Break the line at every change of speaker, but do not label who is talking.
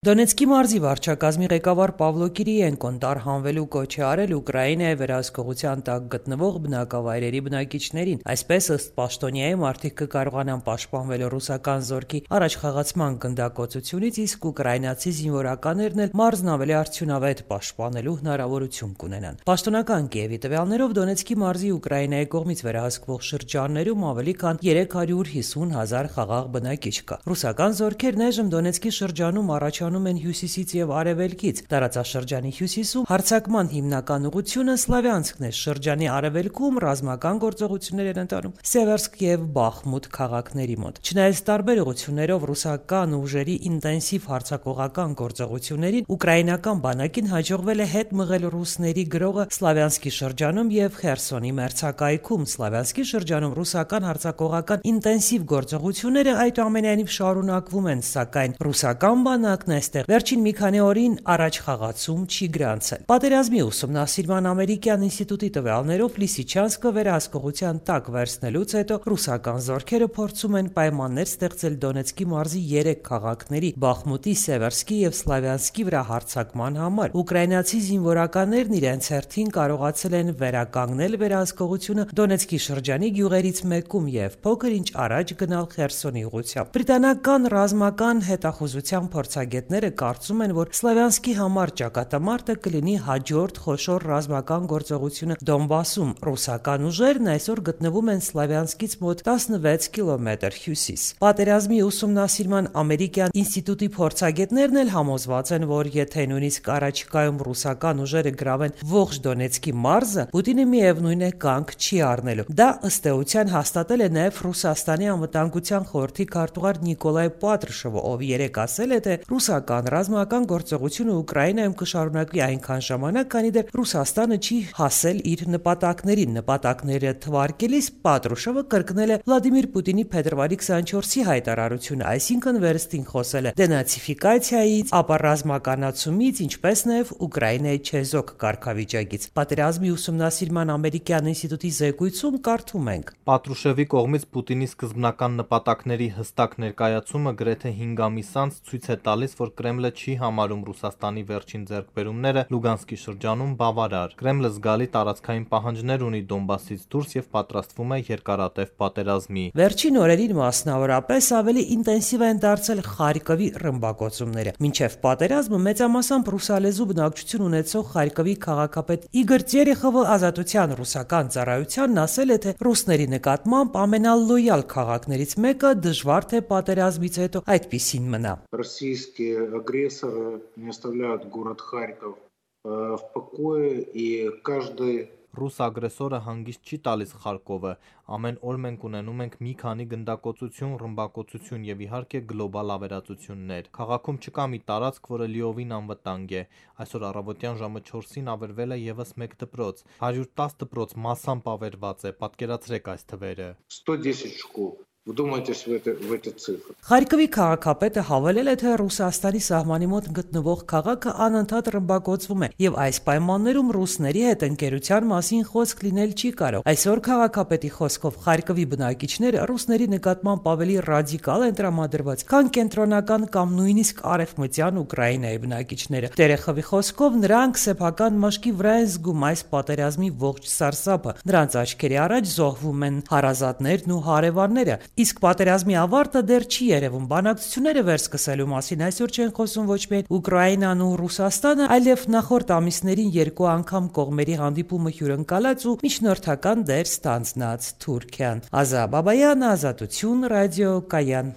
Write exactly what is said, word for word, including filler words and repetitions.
Դոնեցկի մարզի վարչակազմի ղեկավար Պավլո Կիրիենկոն տարհանվելու կոչ է արել Ուկրաինայի վերահսկողության տակ գտնվող բնակավայրերի բնակիչներին, այսպես ըստ պաշտոնյայի մարդիկ կկարողանան պաշտպանվել ռուսական զորքի առաջխաղացման գնդակոծությունից, իսկ ուկրաինացի զինվորականներն էլ մարզն ավելի արդյունավետ պաշտպանելու հնարավորություն կունենան։ Պաշտոնական Կիևի տվյալներով Դոնեցկի մարզի Ուկրաինայի կողմից վերահսկվող շրջաններում ավելի քան երեք հարյուր հիսուն հազար խաղաղ բնակիչ կա։ Ռուսական զորքերն այժմ Դոնեցկի շրջանում առաջ են հյուսիսից եւ արևելքից։ Տարածաշրջանի հյուսիսում հարձակման հիմնական ուղղությունը Սլավյանսկն է, շրջանի արևելքում ռազմական գործողություններ են ընթանում Սևերսկ եւ Բախմուտ քաղաքների մոտ։ Չնայած տարբեր ուղղություններով ռուսական ուժերի ինտենսիվ հարձակողական գործողություններին, ուկրաինական բանակին հաջողվել է հետ մղել ռուսների գրողը Սլավյանսկի շրջանում եւ Խերսոնի մերձակայքում։ Սլավյանսկի շրջանում ռուսական հարձակողական ինտենսիվ գործողությունները այդուամենայնիվ շարունակվում են, սակայն ռուսական բանակն այստեղ վերջին մի քանի օրին առաջ խաղացում չի գրանցել։ Պատերազմի ուսումնասիրման ամերիկյան ինստիտուտի տվյալներով Լիսիչանսկը վերահսկողության տակ վերցնելուց հետո ռուսական զորքերը փորձում են պայմաններ ստեղծել Դոնեցկի մարզի երեք քաղաքների՝ Բախմուտի, Սևերսկի եւ Սլավյանսկի վրա հարձակման համար։ Ուկրաինացի զինվորականներն իրենց հերթին կարողացել են վերականգնել վերահսկողությունը Դոնեցկի շրջանի գյուղերից մեկում եւ փոքր ինչ առաջ գնալ Խերսոնի ուղղությամբ։ Բրիտանական ռազմական հետախուզության փորձագետները կարծում են, որ Սլավյանսկի համար ճակատամարտը կլինի հաջորդ խոշոր ռազմական գործողությունը Դոնբասում։ Ռուսական ուժերն այսօր գտնվում են Սլավյանսկից մոտ տասնվեց կիլոմետր հյուսիս։ Պատերազմի ուսումնասիրման ամերիկյան ինստիտուտի փորձագետներն էլ համոզված են, որ եթե նույնիսկ առաջիկայում ռուսական ուժերը գրավեն ողջ Դոնեցկի մարզը, Պուտինը միևնույն է կանգ չի առնելու։ Դա ըստ էության հաստատել է նաև Ռուսաստանի անվտանգության խորհրդի քարտուղար Նիկոլայ Պատրուշովը, ով երեկ ասել է, թե ռուսական ռազմական գործողությունը Ուկրաինայում կշարունակվի այնքան ժամանակ, քանի դեռ Ռուսաստանը չի հասել իր նպատակներին։ Նպատակները թվարկելիս Պատրուշովը կրկնել է Վլադիմիր Պուտինի փետրվարի քսանչորսի հայտարարությունը, այսինքն վերստին խոսել է դենացիֆիկացիայից, ապա ռազմականացումից, ինչպես նաև Ուկրաինայի չեզոք կարգավիճակից։ Պատերազմի ուսումնասիրման ամերիկյան ինստիտուտի զեկույցում կարդում ենք.
Պատրուշևի կողմից Պուտինի սկզբնական նպատակների հստակ ներկայացումը գրեթե հինգ ամիս անց ցույց է տալիս, որ Կրեմլը չի համարում Ռուսաստանի վերջին ձեռքբերումները Լուգանսկի շրջանում բավարար։ Կրեմլը զգալի տարածքային պահանջներ ունի Դոնբասից դուրս եւ պատրաստվում է երկարատև պատերազմի։
Վերջին օրերին մասնավորապես ավելի ինտենսիվ են դարձել Խարկովի ռմբակոծումները։ Մինչև պատերազմը մեծամասամբ ռուսալեզու բնակչություն ունեցող Խարկովի քաղաքապետ Իգոր Տերեխովը ազատության ռուսական ծառայությանն ասել է, թե ռուսների նկատմամբ ամենալոյալ քաղաքներից մեկը դժվար թե պատերազմից հետո այդպիսին մնա։
Российские агрессоры не оставляют город Харьков в покое, и каждый
Ռուս ագրեսորը հանգիստ չի տալիս Խարկովը։ Ամեն օր մենք ունենում ենք մի քանի գնդակոծություն, ռմբակոծություն եւ իհարկե գլոբալ ավերածություններ։ Քաղաքում չկա մի տարածք, որը լիովին անվտանգ է։ Այսօր առավոտյան ժամը չորսին ավերվել է եւս մեկ դպրոց։ հարյուր տասը դպրոց massամբ ավերված է։ Պատկերացրեք այս թվերը։
сто десять школ. Вдумайтесь в это, в эти цифры.
Խարկովի քաղաքապետը հավելել է, թե Ռուսաստանի սահմանի մոտ գտնվող քաղաքը անընդհատ ռմբակոծվում է եւ այս պայմաններում ռուսների հետ ընկերության մասին խոսք լինել չի կարող։ Այսօր քաղաքապետի խոսքով Խարկովի բնակիչները ռուսների նկատմամբ ավելի ռադիկալ են տրամադրված, քան կենտրոնական կամ նույնիսկ արևմտյան Ուկրաինայի բնակիչները։ Տերեխովի խոսքով նրանք սեփական մաշկի վրա են զգում այս պատերազմի ողջ սարսափը։ Նրանց աչքերի առաջ զոհվում են հարազատներն ու հարևանները։ Իսկ պատերազմի ավարտը դեռ չի երևում։ Բանակցությունները վերսկսելու մասին այսօր չեն խոսում ոչ միայն Ուկրաինան ու Ռուսաստանը, այլև նախորդ ամիսներին երկու անգամ կողմերի հանդիպումը հյուրընկալած ու միջնորդական դեր ստանձնած Թուրքիան։ Ազա Բաբայան, Ազատություն, ռադիո Կայան։